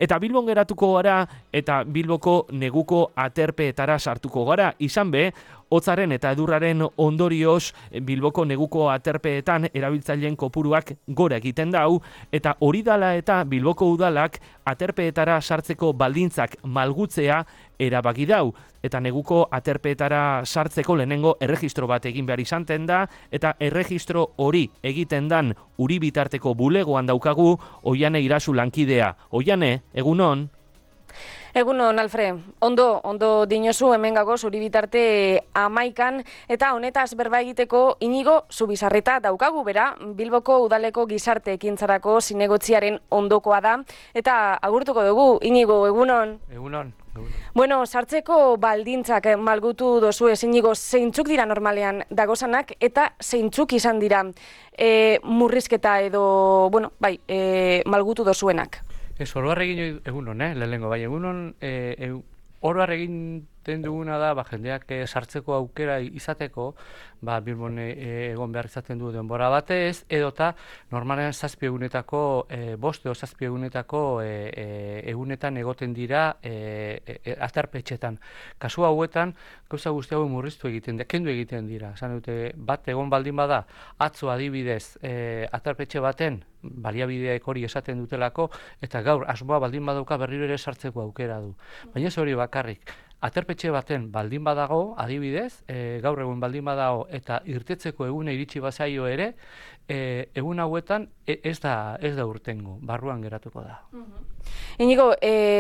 Eta Bilbon geratuko gara eta Bilboko neguko aterpeetara sartuko gara. Izan be, hotzaren eta edurraren ondorioz Bilboko neguko aterpeetan erabiltzaileen kopuruak gora egiten dau, eta hori dala eta Bilboko udalak aterpeetara sartzeko baldintzak malgutzea erabaki dau. Eta neguko aterpeetara sartzeko lehenengo erregistro bat egin behar izanten da, eta erregistro hori egiten dan uri bitarteko bulegoan daukagu Oiane Irazu lankidea. Oiane, egunon? Egunon, Alfre. Ondo dinozu hemen gagoz uri bitarte 11 eta honetaz berba egiteko Inigo Zubizarreta daukagu, bera, Bilboko udaleko gizarte ekintzarako zinegotziaren ondokoa da, eta agurtuko dugu. Inigo, egunon? Egunon. Bueno, sartzeko baldintzak malgutu dozu Inigo, zeintzuk dira normalean dagozanak eta zeintzuk izan dira murrizketa edo, malgutu dozuenak? Ez, oroar egin egunon, lehenengo, bai, egunon, oroar egiten duguna da, jendeak sartzeko aukera izateko, Bilbon egon behar izaten du denbora batez, edota normalean 7 egunetako, 5 edo 7 egunetako egunetan egoten dira aterpetxetan. Kasu hauetan, gauza guzti hau murriztu egiten dira, kendu egiten dira. Esan dute, bat egon baldin bada, atzo adibidez aterpetxe baten, baliabideak hori esaten dutelako, eta gaur asmoa baldin badauka berriro ere sartzeko aukera du. Baina ez hori bakarrik. Aterpetxe baten baldin badago, adibidez, gaur egun baldin badago eta irtetzeko eguna iritsi bazaio ere, egun hauetan ez da urtengo, barruan geratuko da. Inigo,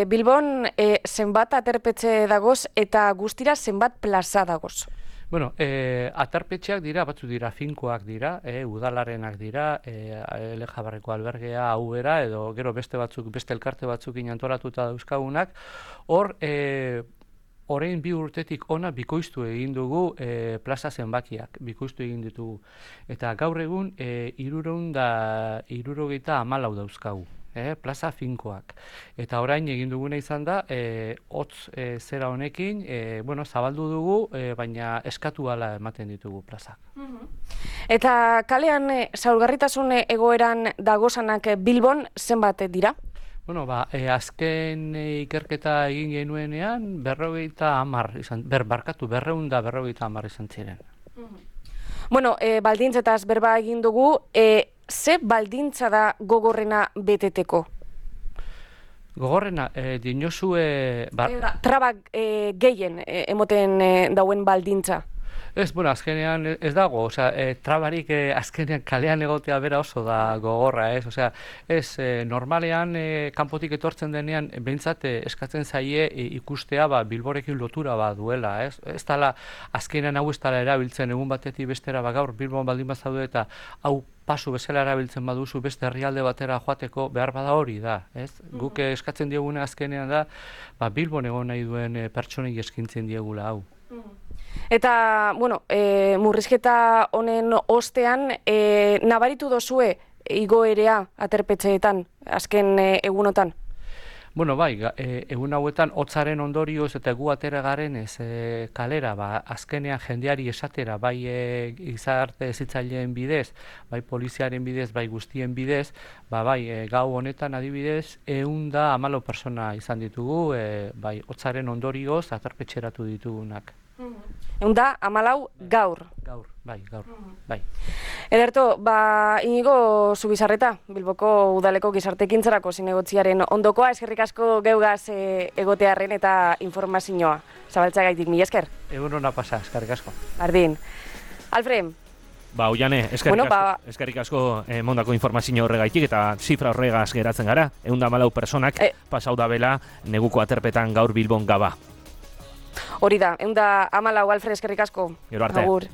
Bilbon zenbat aterpetxe dagoz eta guztira zenbat plaza dagoz? Bueno, aterpetxeak dira, batzu dira finkoak dira, udalarenak dira, Lejabarreko albergea, Aubera, edo gero beste elkarte batzukin antolatuta dauzkagunak. Hor, orain 2 urtetik ona bikoiztu egin dugu plaza zenbakiak, bikoiztu egin ditugu. Eta gaur egun 374 dauzkagu. Plaza finkoak. Eta orain egin duguna izan da, hotz zera honekin, zabaldu dugu, baina eskatu ala ematen ditugu plazak. Eta kalean zaurgarritasun egoeran dagozanak Bilbon zenbat dira? Bueno, azken ikerketa egin genuenean, 250 izan ziren. Bueno, baldintzetaz berba egin dugu, ze baldintza da gogorrena beteteko? Gogorrena, dinozue... Trabak gehien emoten dauen baldintza? Ez, azkenean ez dago, trabarik azkenean kalean egotea bera oso da gogorra, ez, normalean kanpotik etortzen denean, behintzat eskatzen zaie ikustea Bilborekin lotura duela, ez dala, azkenean hau ez dala erabiltzen egun batetik bestera, gaur Bilbon baldin bazaude eta hau pasu bezala erabiltzen baduzu beste herrialde batera joateko behar bada hori da, ez? Guk eskatzen dieguna azkenean da, Bilbon egon nahi duen pertsonek eskintzen diegula hau. Eta, murrizketa honen ostean, nabaritu dozue igoerea aterpetxeetan, azken egunotan? Bueno, egun hauetan hotzaren ondorioz eta gu atera garen kalera, azkenean jendeari esatera, gizarte hezitzaileen bidez, poliziaren bidez, guztien bidez, gau honetan adibidez, 114 pertsona izan ditugu, hotzaren ondorioz aterpetxeratu ditugunak. 114 gaur? Gaur. Ederto, Inigo Zubizarreta, Bilboko udaleko gizarte ekintzarako zinegotziaren ondokoa, eskerrik asko geugaz egotearren eta informazioa. Zabaltzagaitik, mila esker. Egun hona pasa, eskerrik asko. Bardin. Alfred. Oiane, eskerrik asko mondako informazio horregaitik eta zifra horregaz geratzen gara. 114 personak pasau da bela neguko aterpetan gaur Bilbon gaba. Hori da, 114 Alfred, eskerrik asko. Gero arte. Agur.